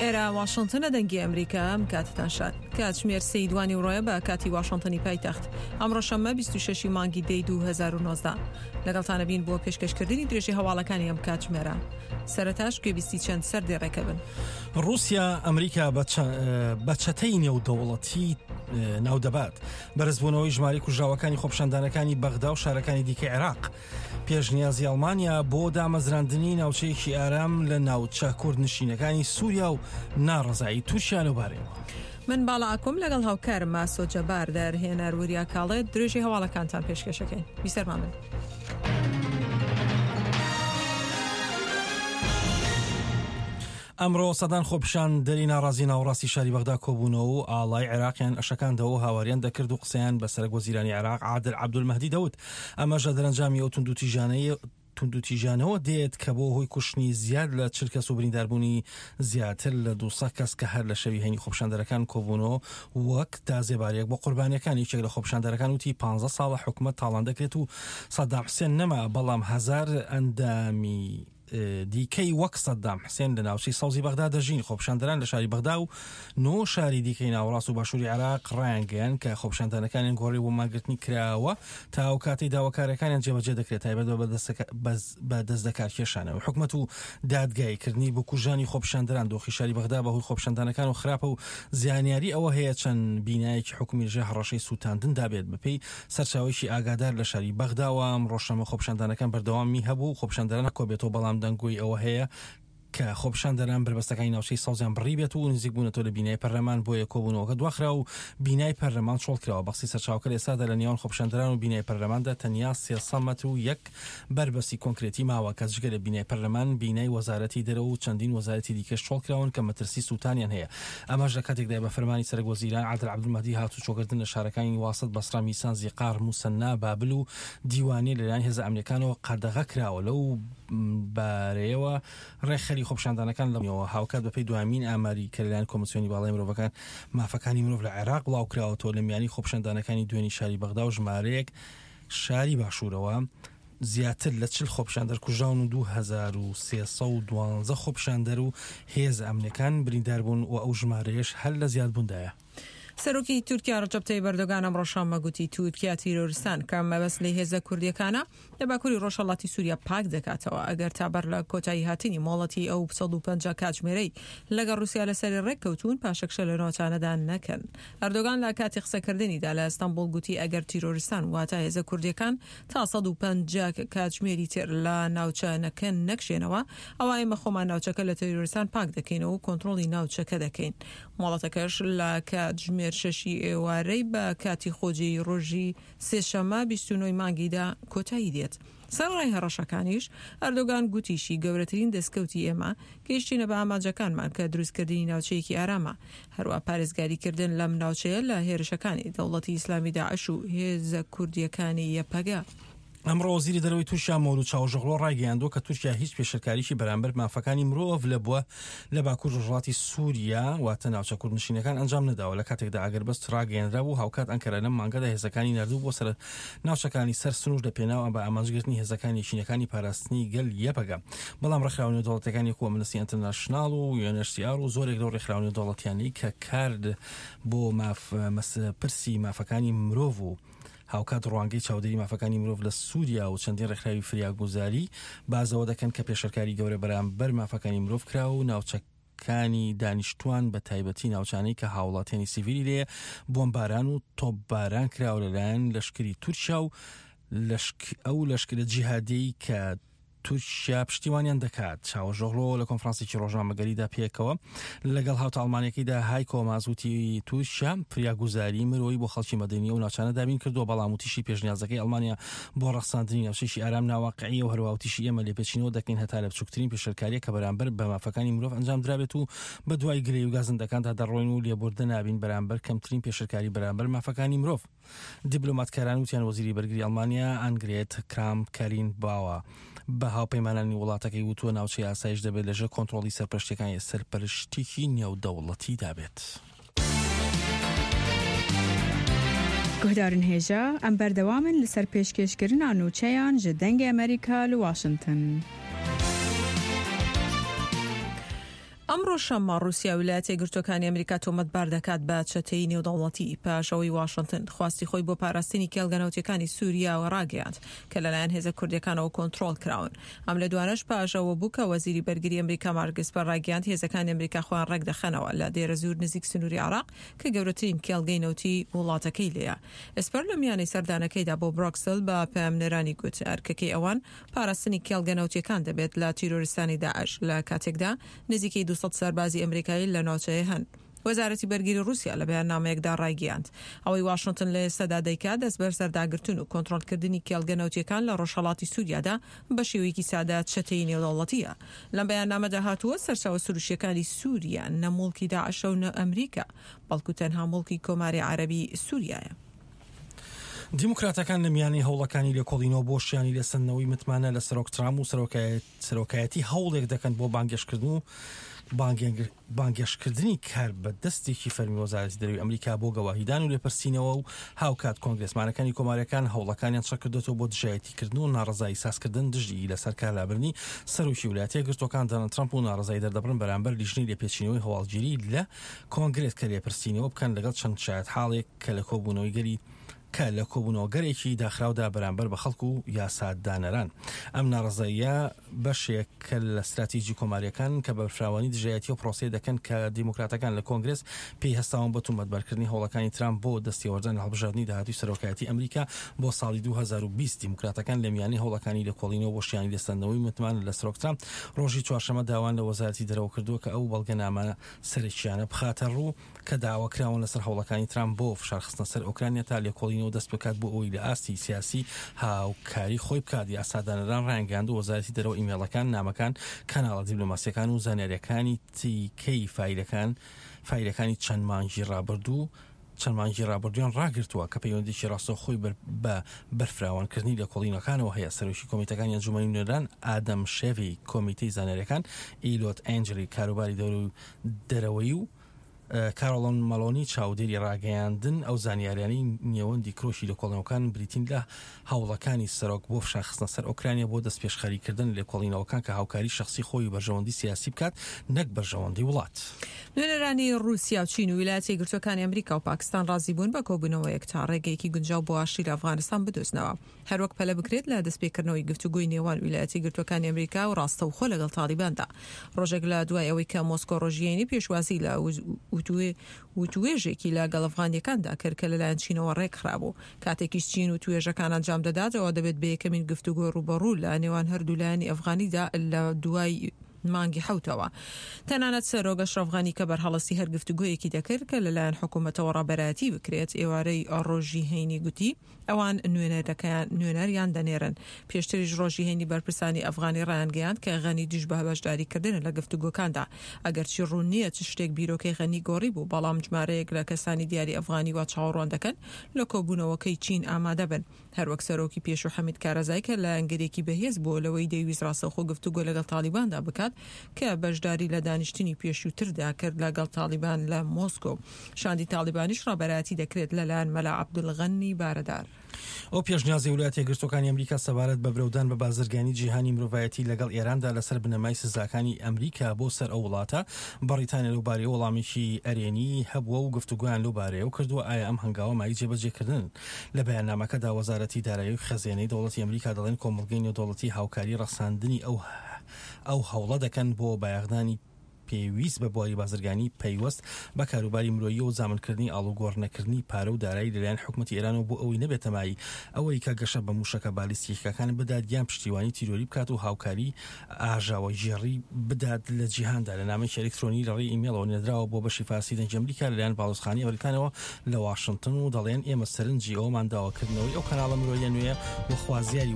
ئێرە واشنتنە دەنگی ئەمریکا ئەم کاتتان شاد. کاتژمێر سێی دوانی ڕۆیە بە کاتی واشنتنی پایتەخت. ئەمڕۆ شەممە 26 مانگی دەی 2019. لەگەڵتانە بین بۆ پێشکەشکردنی درێژی هەواڵەکانی ئەم کاتژمێرە. سەرەتاش گوێبیستی چەند سەردێڕێکە بن. ڕووسیا ئەمریکا بە چەتەی نێودەوڵەتی ناودەبات. بەرزبوونەوەی ژمارەی کوژراوەکانی خۆپیشاندانەکانی بەغدا و شارەکانی دیکەی عێراق. پێشنیازی ئەڵمانیا بۆ دامەزراندنی ناوچەیەکی ئارام لە ناوچە کوردنشینەکانی سووریا و ناڕەزایی تورکیا لەوبارەیەوە. من باڵا ئاکۆم لەگەڵ هاوکارم ئاسۆ جەبار دەرهێنەر وریا کاڵێ درێژەی هەواڵەکانتان پێشکەشەکەین. بیسەرمان بن. ئەمڕۆ سەدان خۆپیشاندەری ناڕازی ناوەڕاستی شاری بەغدا کۆبوونەوە و ئاڵای عێراقیان ئەشەکاندەوە و هاواریان دەکرد و قسەیان بە سەرەک وەزیرانی عێراق عادل عەبدولمەهدی دەوت ئەمەش لە دەرەنجامی ئەو توندوتیژانەی توندوتیژانەوە دێت کە بۆ هۆی کوشتنی زیاد لە 40 کەس و برینداربوونی زیاتر لە 200 کەس کە هەر لە شەوی هەینی خۆپیشاندەرەکان کۆبوونەوە وەک تازێبارێک بۆ قوربانیەکان یەکێک لە خۆپیشاندەرەکان وتی 15 ساڵە حکومەت تاڵان دەکرێت و سەدام حسێن نەما بەڵام هەزار ئەندامی دیکەی وەک سەدام حسێن لە ناوچەی سەوزی بەغدا دەژین. خۆپیشاندەران لە شاری بەغدا و نۆ شاری دیکەی ناوەڕاست و باشووری عێراق ڕایانگەیاند کە خۆپیشاندانەکانیان گۆڕی بۆ مانگرتنی کراوە تا ئەو کاتەی داواکاریەکانیان جێبەجێ دەکرێت تایبەت بە دەستلەکارکێشانەوەی حکومەت و دادگاییکردنی بکوژانی خۆپیشاندەران. دۆخی شاری بەغدا بەهۆی خۆپیشاندانەکان و خراپە و زیانیاری ئەوە هەیە چەند بینایەکی حکومی لەژێر هەڕەشەی سووتاندندا بێت بەپێی سەرچاوەیەکی ئاگادار لە شاری بەغداوە، ئەمڕۆ شەممە خۆپیشاندانەکان بەردەوامی هەبوو و خۆپیشاندەران کۆبێتەوە، بەڵام دەنگۆی ئەوە هەیە کە خۆپیشاندەران بەربەستەکانی ناوچەی سەوزیان بڕیبێت و نزیک بوونەتەوە لە بینای پەرلەمان، بۆیە کۆبوونەوەکە دواخرا و بینای پەرلەمان چۆڵکراوە. بەقسەی سەرچاوەکە لە ئێستادا لە نێوان خۆپیشاندەران و بینای پەرلەماندا تەنیا 300 مەتر و یەک بەربەستی کۆنکرێتی ماوە کە جگە لە بینای پەرلەمان، بینای وەزارەتی دەرەوە و چەندین وەزارەتی دیکەش چۆڵکراون کە مەترسی سووتانیان هەیە. ئەمەش لە کاتێکدایە بە فەرمانی سەرەک وەزیران عادل عەبدولمەهدی هاتوچۆکردن لە شارەکانی واسط، بەسرە، میسان، زیقار، موسەننا، بابل و دیوانیە لەلایەن هێزە ئەمنیەکانەوە قەدەغە کراوە. لەو بارەیەوە ڕێکخەری خۆپیشاندانەکان لە هاوکات بەپێی دوامین ئاماری کە لەلایەن کۆمسیۆنی باڵای مرۆڤەکان مافەکانی مرۆڤ لە عێراق بڵاوکراوەتەوە لە میانی خۆپیشاندانەکانی دوێنی شاری بەغدا و ژمارەیەک شاری باشوورەوە زیاتر لە 40 خۆپیشاندەر کوژراون و 2312 خۆپیشاندەر و هێزە ئەمنیەکان بریندار بوون و ئەو ژمارەیەش هەر لە زیادبووندایە. سەرۆکی تورکیا ڕەجەب تەیب ئەردۆگان ئەمڕۆ شەممە گوتی تورکیا تیرۆرستان کە مەبەست لێی هێزە کوردییەکانە لە باکووری ڕۆژهەڵاتی سووریا پاک دەکاتەوە ئەگەر تا بەر لە کۆتایی هاتنی مۆڵەتی ئەو 150 کاتژمێرەی لەگەڵ ڕووسیا لەسەری ڕێککەوتوون پاشەکشە لە ناوچانەدا نەکەن. ئەردۆگان لە کاتی قسەکردنیدا لە ئەستەنبوڵ گوتی ئەگەر تیرۆرستان واتە هێزە کوردییەکان تا 150 کاتژمێری تر لە ناوچەنەکە نەکشێنەوە ئەوا ئێمە خۆمان ناوچەکە لە تیرۆرستان پاک دەکەینەوە و کۆنترۆڵی ناوچەکە دەکەین. مۆڵەتەکەش لە کاتژمێر شەشی ئێوارەی بە کاتی خۆجێی ڕۆژی سێشەممە 29 ی مانگی دا کۆتایی دێت. سەرەڕای هەڕەشەکانیش، ئەردۆگان گوتیشی گەورەترین دەستکەوتی ئێمە، گەیشتینە بە ئامانجەکانمان کە دروستکردنی ناوچەیەکی ئارامە، هەروا پارێزگاریکردن لەم ناوچەیە لە هێرشەکانی دەوڵەتی ئیسلامی داعش و هێزە کوردییەکانی یەپەگە. ئەمڕۆ وەزیری دەرەوەی تورکیا مەولود چاوشئۆغلۆ ڕایگەیاندووە کە تورکیا هیچ پێشێلکاریی بەرامبەر مافەکانی مرۆڤ لە بووە لە باکوور ڕۆژهەڵاتی سووریا واتە ناوچە کوردنشینەکان ئەنجام نەداوە لە کاتێکدا ئاگربەست ڕاگەیەنرابوو هاوکات ئەنکەرە لەم مانگەدا هێزەکانی ناردوو بۆ سەر ناوچەکانی سەر سنوور لە پێناو بە ئامانجگرتنی هێزەکانی یەکینەکانی پاراستنی گەل یەپەگە بەڵام ڕێکخراوە نێودەوڵەتیەکانی وەکو ئەمنستی ئینتەرناشناڵ و UNHCR و زۆرێک لەو ڕێکخراوە نێودەوڵەتیانەی کە کار بۆ ماف پرسی مافەکانی مرۆڤ و هاوکات ڕوانگەی چاودێری مافەکانی مرۆڤ لە سووریا و چەندین ڕێکخراوی فریاگوزاری باس لەوە دەکەن کە پێشێلکاری گەورە بەرامبەر مافەکانی مرۆڤ کراوە و ناوچەکانی دانیشتوان بە تایبەتی ناوچانەی کە هاوڵاتیانی سیڤیلی لێیە بۆمباران و تۆپباران کراوە لەلایەن لەشکری تورکیا و ئەو لەشکرە جیهادیەی کە تورکیا پشتیوانیان دەکات. چاوەشئۆغلۆ لە کۆنفرانسێکی ڕۆژنامەگەریدا پێکەوە لەگەڵ هاوتا ئەڵمانیەکەیدا هایکۆ ماس وتی تورکیا فریاگوزاری مرۆیی بۆ خەڵکی مەدەنی ئەو ناوچانە دابین کردووە، بەڵام وتیشی پێشنیازەکەی ئەڵمانیا بۆ ڕەخساندنی ناوچەیەکی ئارام ناواقعیە و هەروەها وتیشی ئێمە لێپێچینەوە دەکەین هەتا لە بچووکترین پێشێلکارییەک کە بەرامبەر بە مافەکانی مرۆڤ ئەنجام درابێت و بەدوای گلەیی و گازندەکاندا دەڕۆین و لێبوردە نابین بەرامبەر کەمترین پێشێلکاری بەرامبەر مافەکانی مرۆڤ. دیبلۆماتکاران وتیان وەزیری بەرگری ئەڵمانیا ئانگرێت کرامپ کارین باوە بە هاوپەیمانانی وڵاتەکەی وتووە ناوچەی ئاسایش دەبێت لەژێر کۆنترۆڵی سەرپەرشتیەکانی سەرپەرشتیی نێودەوڵەتیدا بێت. Guhdarên hêja, em berdewam in li ser pêşkêşkirina nûçeyan ji Dengê Amerîka li Washington. ئەمڕۆ شەممە ڕووسیا ویلایەتە یەکگرتووەکانی ئەمریکا تۆمەتبار دەکات بە چەتەیی نێودەوڵەتی پاش ئەوەی واشنتن خواستی خۆی بۆ پاراستنی کێڵگە نەوتیەکانی سووریاوە ڕاگەیاند کە لەلایەن هێزە کوردیەکانەوە کۆنترۆڵ کراون. ئەم لێدوانەش پاش ئەوە بوو کە وەزیری بەرگری ئەمریکا مارک ئیسپەر ڕایگەیاند هێزەکانی ئەمریکا خۆیان ڕێکدەخەنەوە لە دێرەزوور نزیک سنووری عێراق کە گەورەترین کێڵگەی نەوتی وڵاتەکەی لێیە. ئیسپەر لە میانەی سەردانەکەیدا بۆ برۆکسل بە پەیامنێرانی گوت ئەرکەکەی ئەوان پاراستنی کێڵگە نەوتییەکان دەبێت لە تیرۆریستانی داعش، لە کاتێکدا نزیکەی 200 سەربازی ئەمریکایی لە ناوچەیە هەن. وەزارەتی بەرگری ڕووسیا لە بەیاننامەیەکدا ڕایگەیاند، ئەوەی واشنتن لە ئێستادا دەیکات دەستبەسەرداگرتن و کۆنترۆڵکردنی کێڵگە نەوتییەکان لە ڕۆژهەڵاتی سووریادا بە شێوەیەکی سادە چەتەیی نێودەوڵەتییە. لەم بەیاننامەدا هاتووە، سەرچاوە سروشتییەکانی سووریا نە موڵکی داعشە و نە ئەمریکا، بەڵکو تەنها موڵکی کۆماری عەرەبی سووریایە. دیموکراتەکان لە میانەی هەوڵەکانی لێکۆڵینەوە بۆ شیانی لێسەندنەوەی متمانە لە سەرۆک ترامپ و سەرۆکایەتی هەوڵێک دەکەن بۆ بانگێشتکردن و بانگێشتکردنی کاربەدەستێکی فەرمی وەزارەتی دەرەوەی ئەمریکا بۆ گەواهیدان و لێپرسینەوە و هاوکات کۆنگرێسمانەکانی کۆماریەکان هەوڵەکانیان چڕکردۆتەوە بۆ دژایەتیکردن و ناڕەزایی سازکردن دژی لەسەر کارلابردنی سەرۆکی ولایەتە یەکگرتووەکان دۆناڵد ترەمپ و ناڕەزایی دەردەبڕن بەرامبەر لیژنەی لێپێچینەوەی هەواڵگیری لە کۆنگرێس کە لێپرسینەوە بکەن لەگەڵ چەند شایەتحاڵێک کە لە کۆبوونەوەی گەلی کە لە کۆبوونەوەگەلێکی داخراودا بەرامبەر بە خەڵک و یاسادانەران. ئەم ناڕەزاییە بەشێکە لە ستراتیجی کۆمارییەکان کە بە بەرفراوانی دژایەتی ئەو پرۆسەیە دەکەن کە دیموکراتەکان لە کۆنگرێس پێی هەستاون بە تومەتبارکردنی هەوڵەکانی ترامپ بۆ دەستێوەردان لە هەڵبژاردنی داهاتووی سەرۆکایەتی ئەمریکا بۆ ساڵی 2020. دیموکراتەکان لە میانەی هەوڵەکانی لێکۆڵینەوە بۆ شیانی لێسەندنەوەی متمانە لە سەرۆک ترامپ ڕۆژی چوارشەممە داوایان لە وەزارەتی دەرەوە کردووە کە ئەو بەڵگەنامە سەرەکییانە بخاتە ڕوو کە داواکراون لەسەر هەوڵەکانی ترامپ بۆ فشارخستنە سەر ئۆکرانیا تا لێکۆڵینەوە دەست بکات بۆ ئەوەی لە ئاستی سیاسی هاوکاری خۆی بکات. یاسادانەران ڕایانگەیاندووە وەزارەتی دەرەوە ئیمێڵەکان، نامەکان، کەناڵە دیبلۆماسییەکان و زانیارییەکانی تیکەی فایلەکان فایلەکانی چەند مانگی ڕابردوو چەند مانگی ڕابردوویان ڕاگرتووە کە پەیوەندیی ڕاستەوخۆی بە بەرفراوانکردنی لێکۆڵینەوەکانەوە هەیە. سەرۆکی کۆمیتەکانی ئەنجوومەنی نوێنەران ئادەم شێڤی، کۆمیتەی زانیارییەکان ئیلۆت ئەنجلی، کاروباری دەرەوەیی و کارۆڵن مەلۆنی چاودێری ڕاگەیاندن، ئەو زانیاریانەی نێوەندی کرۆکی لێکۆڵینەوەکان بریتین لە هەوڵەکانی سەرۆک بۆ فشارخستنە سەر ئۆکرانیا بۆ دەستپێشخەریکردن لە لێکۆڵینەوەکان کە هاوکاری شەخسی خۆی و بەرژەوەندی سیاسی بکات نەک بەرژەوەندی وڵات. نوێنەرانی ڕووسیا و چین و ویلایەتە یەکگرتووەکانی ئەمریکا و پاکستان ڕازی بوون بە کۆبوونەوەیەک تا ڕێگەیەکی گونجاو بۆ ئاشتی لە ئەفغانستان بدۆزنەوە. هەروەک پەلە بکرێت لە دەستپێکردنەوەی گفتوگۆی نێوان ویلایەتە یەکگرتووەکانی ئەمریکا و ڕاستەوخۆ لەگەڵ تاڵیباندا ڕۆژێک لە دوای ئەوەی کە مۆسکۆ ڕۆژی هەینی پێشوازی لە وتوێژێکی لەگەڵ ئەفغانییەکاندا کرد کە لەلایەن چینەوە ڕێکخرابوو. کاتێکیش چین وتوێژەکان ئەنجام دەدات ئەوە دەبێت بە یەکەمین گفتوگۆی ڕووبەڕوو لە نێوان هەردوو لایەنی ئەفغانیدا لە دوای مانگی حەوتەوە. تەنانەت سەرۆک ئەشرەف غەنی کە بەرهەڵستی هەر گفتوگۆیەکی دەکرد کە لەلایەن حکوومەتەوە ڕابەرایەتی بکرێت ئێوارەی ڕۆژی هەینی گوتی ئەوان نوێنەرەکەیان نوێنەریان دەنێرن. پێشتریش ڕۆژی هەینی بەرپرسانی ئەفغانی ڕایانگەیاند کە غەنی دژ بە بەشداریکردنە لە گفتوگۆکاندا. ئەگەرچی ڕوون نییە چ شتێک بیرۆکەی غەنی گۆڕیبوو، بەڵام ژمارەیەک لە کەسانی دیاری ئەفغانی وا چاوەڕوان دەکەن لە کۆبوونەوەکەی چین ئامادە بن. هەروەک سەرۆکی پێشوو حەمید کارەزای کە لایەنگرێکی بەهێز بووە لەوەی دەیویست ڕاستەوخۆ گفتوگۆ لەگەڵ تاڵیباندا بکات کە بەشداری لە دانیشتنی پێشووتردا کرد لەگەڵ تاڵیبان لە مۆسکۆ. شاندی تاڵیبانیش ڕابەرایەتی دەکرێت لەلایەن مەلا عەبدولغەنی بارەدار. ئەو پێشنیازەی ویلایەتە یەکگرتووەکانی ئەمریکا سەبارەت بە برەودان بە بازرگانی جیهانی مرۆڤایەتی لەگەڵ ئێراندا لەسەر بنەمای سزاکانی ئەمریکا بۆ سەر ئەو وڵاتە، بەڕیتانیا لەو بارەیەوە وەڵامێکی ئەرێنی هەبووە و گفتوگۆیان لەو بارەیەوە کردووە، ئایا ئەم هەنگاوە مایەی جێبەجێکردنن؟ لە بەیاننامەکەدا وەزارەتی دارایی و خەزێنەی دەوڵەتی ئەمریکا دەڵێن کۆمەڵگەی نێودەوڵەتی هاوکاری ڕەخساندنی ئەو ئەو هەوڵە دەکەن بۆ بایەخدانی پێویست بە بواری بازرگانی پەیوەست بە کاروباری مرۆیی و زامنکردنی ئاڵوگۆڕ نەکردنی پارە و دارایی لەلایەن حکومەتی ئێرانەوە بۆ ئەوەی نەبێتە مایەی ئەوەی کە گەشە بە موشەکە بالیستیکەکان بدات یان پشتیوانی تیرۆری بکات و هاوکاری ئاژاوەگێڕی بدات لە جیهاندا. لە نامەیەکی ئەلیکترۆنی لە ڕێی ئیمێڵەوە نێردراوە بۆ بەشی فارسی دەنگی ئەمریکا لەلایەن باڵیۆزخانەی بەریتانیاوە لە واشنتن و دەڵێن ئێمە سەرنجی ئەوەمان داوە کردنەوەی ئەو کەناڵە مرۆییە نوێیە و خوازیاری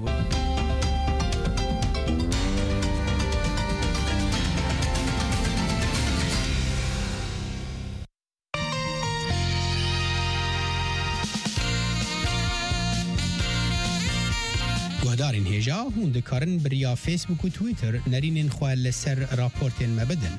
Guhdarên hêja hûn dikarin bi riya Facebook û Twitter nerînên xwe li ser raportên me bidin.